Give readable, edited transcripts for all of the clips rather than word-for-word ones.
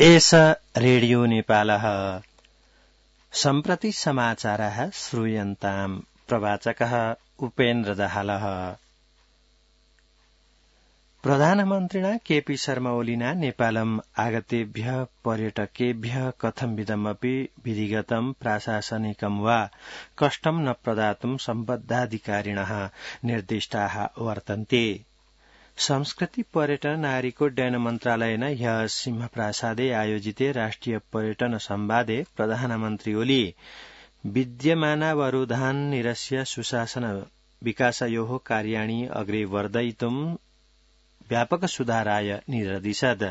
एष रेडियो नेपालः सम्प्रति समाचारः श्रूयन्ताम् प्रवाचकः उपेन्द्र दाहालः। प्रधानमन्त्रिणा केपी शर्मा ओलिना नेपालम् आगतेभ्यः पर्यटकेभ्यः कथंविधमपि विधिगतं प्राशासनिकं वा कष्टं न प्रदातुं सम्बद्धाधिकारिणः निर्दिष्टाः वर्तन्ते। संस्कृति पर्यटन नागरिकोड्डयन मन्त्रालयेन ह्यः सिंहप्रासादे आयोजिते राष्ट्रिय पर्यटन संवादे प्रधानमन्त्री ओली विद्यमानावरोधान् निरस्य सुशासन विकासयोः कार्याणि अग्रे वर्धयितुं व्यापक सुधाराय निर्दिशत्।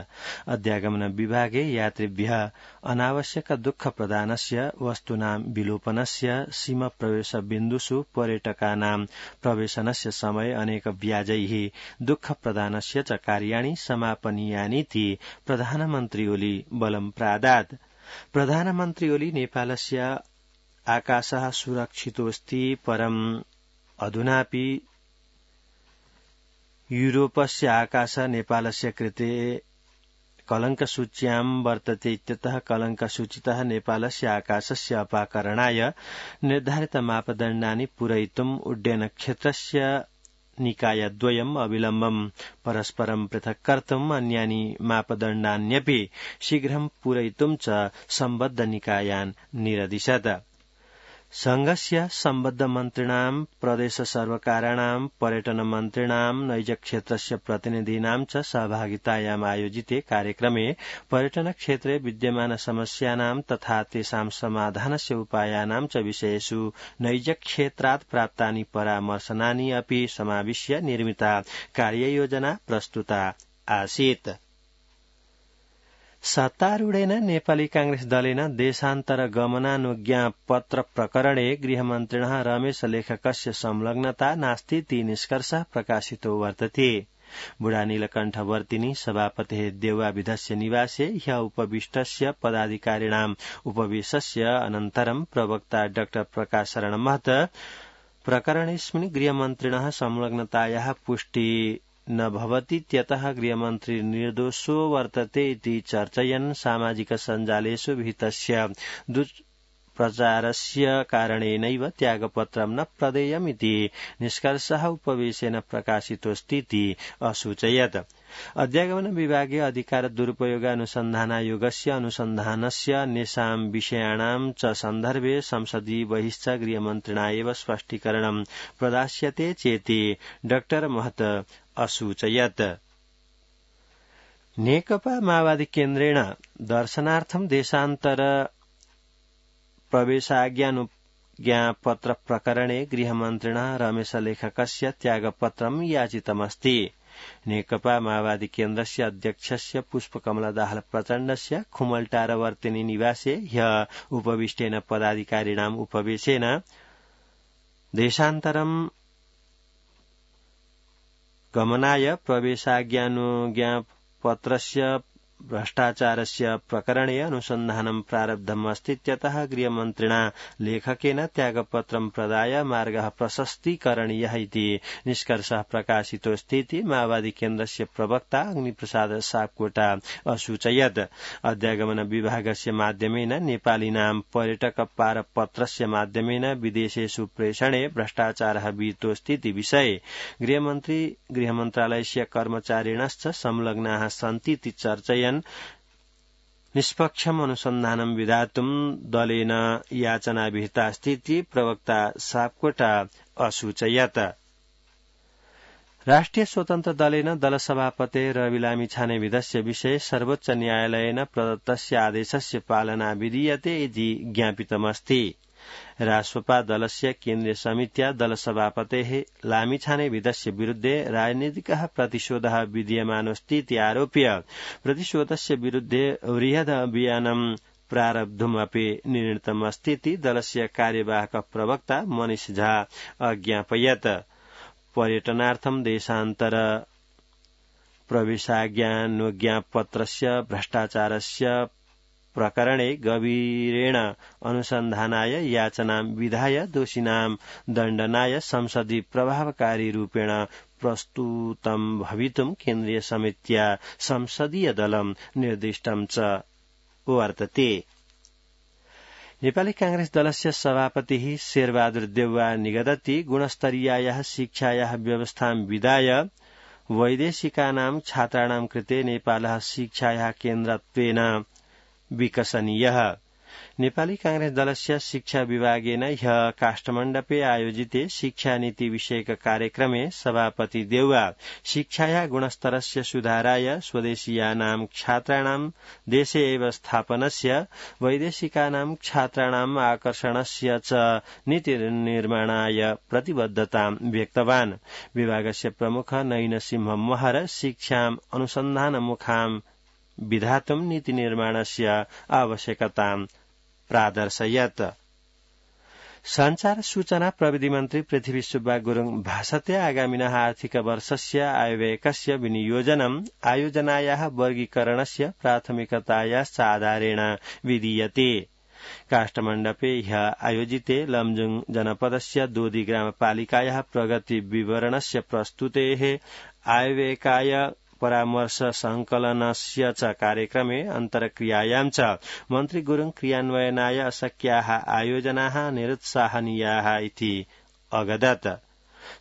अध्यागमन विभागे यात्रिभ्यः अनावश्यक दुःख प्रदानस्य वस्तूनां विलोपनस्य सीमा प्रवेश बिन्दुषु पर्यटकानां प्रवेशनस्य समय अनेक व्याजैः दुःख प्रदानस्य च कार्याणि समापनीयानीति प्रधानमन्त्री ओली बलं प्रादात्। प्रधानमन्त्री ओली नेपालस्य आकाशः सुरक्षितोऽस्ति परम् अधुनापि यूरोपस्य आकाश नेपालस्य कृते कलङ्कसूच्यां वर्तते इत्यतः कलङ्कसूचितः नेपालस्य आकाशस्य अपाकरणाय निर्धारित मापदण्डानि पूरयितुम् उड्डयनक्षेत्रस्य निकायद्वयम् अविलम्बम् परस्परं पृथक् कर्तुम् अन्यानि मापदण्डान्यपि शीघ्रं पूरयितुं च सम्बद्ध निकायान् निरदिशत्। संघस्य सम्बद्ध मन्त्रिणां प्रदेश सर्वकाराणां पर्यटन मन्त्रिणां नैजक्षेत्रस्य प्रतिनिधीनां च सहभागितायाम् आयोजिते कार्यक्रमे पर्यटन क्षेत्रे विद्यमान समस्यानां तथा तेषां समाधानस्य उपायानां च विषयेषु नैजक्षेत्रात् प्राप्तानि परामर्शनानि अपि समाविश्य निर्मिता कार्ययोजना प्रस्तुता आसीत्। सत्तारूढेन नेपाली कांग्रेस दलेन देशान्तरगमनानुज्ञापत्र प्रकरणे गृहमन्त्रिणः रमेश लेखकस्य संलग्नता नास्तीति निष्कर्षः प्रकाशितो वर्तते। बुढानीलकण्ठवर्तिनी सभापतेः देवाविधस्य निवासे ह्यः उपविष्टस्य पदाधिकारिणाम् उपवेशस्य अनन्तरं प्रवक्ता डॉ प्रकाश शरण महत प्रकरणेऽस्मिन् गृहमन्त्रिणः संलग्नतायाः पुष्टि न भवतीत्यतः गृहमन्त्री निर्दोषो वर्तते इति चर्चयन् सामाजिक सञ्जालेषु विहितस्य दुष्प्रचारस्य कारणेनैव त्यागपत्रं न प्रदेयमिति निष्कर्षः उपवेशेन प्रकाशितोऽस्तीति असूचयत्। अध्यागमन विभागे अधिकार दुरुपयोग अनुसन्धानायोगस्य अनुसन्धानस्य अन्येषां विषयाणां च सन्दर्भे संसदीय बहिश्च गृहमन्त्रिणा एव स्पष्टीकरणं प्रदास्यते चेति डॉ महत असूचयत्। नेकपा माओवादी केन्द्रेण दर्शनार्थं देशान्तर प्रवेशाज्ञापत्र प्रकरणे गृहमन्त्रिणः रमेश लेखकस्य त्यागपत्रं याचितमस्ति। नेकपा माओवादी केन्द्रस्य अध्यक्षस्य पुष्पकमल दाहाल प्रचण्डस्य खुमलटारवर्तिनी निवासे ह्यः उपविष्टेन पदाधिकारिणाम् उपवेशेन देशान्तरं गमनाय प्रवेशाज्ञापत्रस्य भ्रष्टाचारस्य प्रकरणे अनुसन्धानं प्रारब्धमस्तीत्यतः गृहमन्त्रिणा लेखकेन त्यागपत्रं प्रदाय मार्गः प्रशस्तीकरणीयः इति निष्कर्षः प्रकाशितोऽस्तीति माओवादी केन्द्रस्य प्रवक्ता अग्निप्रसाद सापकोटा असूचयत्। अध्यागमन विभागस्य माध्यमेन नेपालीनां पर्यटक पारपत्रस्य माध्यमेन विदेशेषु प्रेषणे भ्रष्टाचारः विहितोऽस्तीति विषये गृहमन्त्रालयस्य कर्मचारिणश्च संलग्नाः सन्तीति चर्चयन् निष्पक्षम् अनुसन्धानं विधातुं दलेन याचना विहितास्तीति प्रवक्ता सापकोटा असूचयत्। राष्ट्रिय स्वतन्त्र दलेन दलसभापते रवि लामिछानेविधस्य विषये सर्वोच्च न्यायालयेन प्रदत्तस्य आदेशस्य पालना विधीयते इति ज्ञापितमस्ति। राष्ट्रपा दलस्य केन्द्रीय समित्या दलसभापतेः लामिछानेविधस्य विरुद्धे राजनीतिकः प्रतिशोधः विधीयमानोऽस्तीति आरोप्य प्रतिशोधस्य विरुद्धे बृहद् अभियानं प्रारब्धुमपि निर्णीतमस्तीति दलस्य कार्यवाहक प्रवक्ता मनीष झा अज्ञापयत्। पर्यटनार्थं देशान्तर प्रवेशाज्ञापत्रस्य भ्रष्टाचारस्य प्रकरणे गभीरेण अनुसन्धानाय याचनां विधाय दोषिणां दण्डनाय संसदि प्रभावकारी रूपेण प्रस्तुतं भवितुं केन्द्रीय समित्या संसदीय दलं निर्दिष्टं च वर्तते। नेपाली कांग्रेस दलस्य सभापतिः शेरबहादुर देउवा निगदति गुणस्तरीयायाः शिक्षायाः व्यवस्थां विधाय वैदेशिकानां छात्राणां कृते नेपालः शिक्षायाः केन्द्रत्वेन विकसनीयः। नेपाली कांग्रेस दलस्य शिक्षा विभागेन ह्यः काष्ठमण्डपे आयोजिते शिक्षानीति विषयक कार्यक्रमे सभापति देउवा शिक्षाया गुणस्तरस्य सुधाराय स्वदेशीयानां छात्राणां देशे एव स्थापनस्य वैदेशिकानां छात्राणां आकर्षणस्य च नीतिनिर्माणाय प्रतिबद्धतां व्यक्तवान्। विभागस्य प्रमुख नयिनसिंह महर शिक्षाम् अनुसन्धानमुखां विधातुं नीतिनिर्माणस्य आवश्यकतां प्रादर्शयत्। संचार सूचना प्रविधि मन्त्री पृथ्वी सुब्बा गुरुङ भाषते आगामिनः आर्थिक वर्षस्य आयव्ययकस्य विनियोजनम् आयोजनायाः वर्गीकरणस्य प्राथमिकतायाश्च आधारेण विधीयते। काष्ठमण्डपे ह्यः आयोजिते लमजुङ जनपदस्य दोदी ग्रामपालिकायाः प्रगति विवरणस्य प्रस्तुतेः आयव्ययकाय परामर्श संकलनस्य च कार्यक्रमे अन्तर्क्रियायां च मन्त्री गुरुङ क्रियान्वयनाय अशक्याः आयोजनाः निरुत्साहनीयाः इति अगदत्।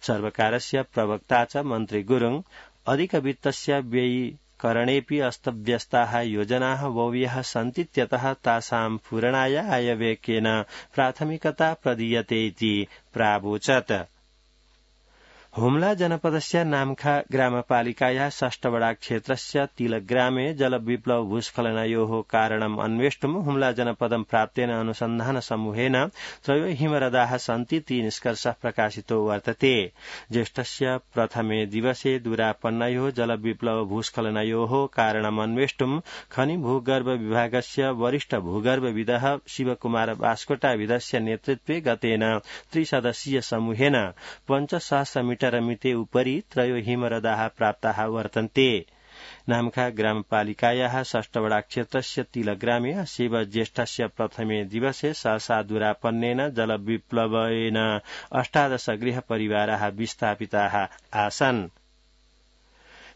सर्वकारस्य प्रवक्ता च मन्त्री गुरुङ अधिकवित्तस्य व्ययीकरणेऽपि अस्तव्यस्ताः योजनाः बह्व्यः सन्तीत्यतः तासां पूरणाय आयव्ययकेन प्राथमिकता प्रदीयते इति प्रावोचत्। हुम्ला जनपदस्य नाम्खा ग्रामपालिकायाः षष्ठवडा क्षेत्रस्य तिलग्रामे जलविप्लव भूस्खलनयोः कारणम् अन्वेष्टुं हुम्ला जनपदं प्राप्तेन अनुसन्धान समूहेन त्रयो हिमरदाः सन्तीति निष्कर्षः प्रकाशितो वर्तते। ज्येष्ठस्य प्रथमे दिवसे दुरापन्नयोः जलविप्लव भूस्खलनयोः कारणम् अन्वेष्टुं खनि भूगर्भ विभागस्य वरिष्ठ भूगर्भविदः शिवकुमार बास्कोटाविदस्य नेतृत्वे गतेन त्रिसदस्यीय समूहेन 5,000 मीटर मिते उपरि त्रयो हिमरदाः प्राप्ताः वर्तन्ते। नाम्खा ग्रामपालिकायाः षष्ठवडा क्षेत्रस्य तिलग्रामे अस्य ज्येष्ठस्य प्रथमे दिवसे सहसा दुरापन्नेन जलविप्लवेन 18 गृहपरिवाराः विस्थापिताः आसन्।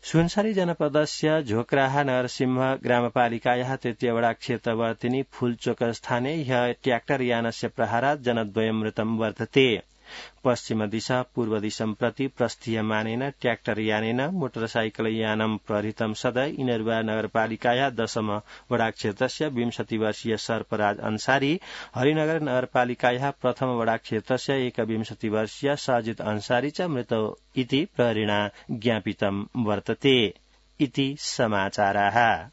सुनसरी जनपदस्य झोक्राहा नरसिंह ग्रामपालिकायाः तृतीयवडा क्षेत्रवर्तिनी फूलचोक स्थाने ह्यः ट्र्याक्टर यानस्य प्रहारात् जनद्वयं मृतं वर्तते। पश्चिम दिशा पूर्व दिशं प्रति प्रस्थीयमानेन ट्र्याक्टर यानेन मोटरसाइकल यानं प्रहृतं सदा इनरुवा नगरपालिकाया 10 वडा क्षेत्रस्य 20 वर्षीय सर्पराज अंसारी, हरिनगर नगरपालिकाया प्रथम वडा क्षेत्रस्य 21 वर्षीय साजिद अंसारी च मृतौ इति प्रहरिणा ज्ञापितं वर्तते। इति समाचाराः।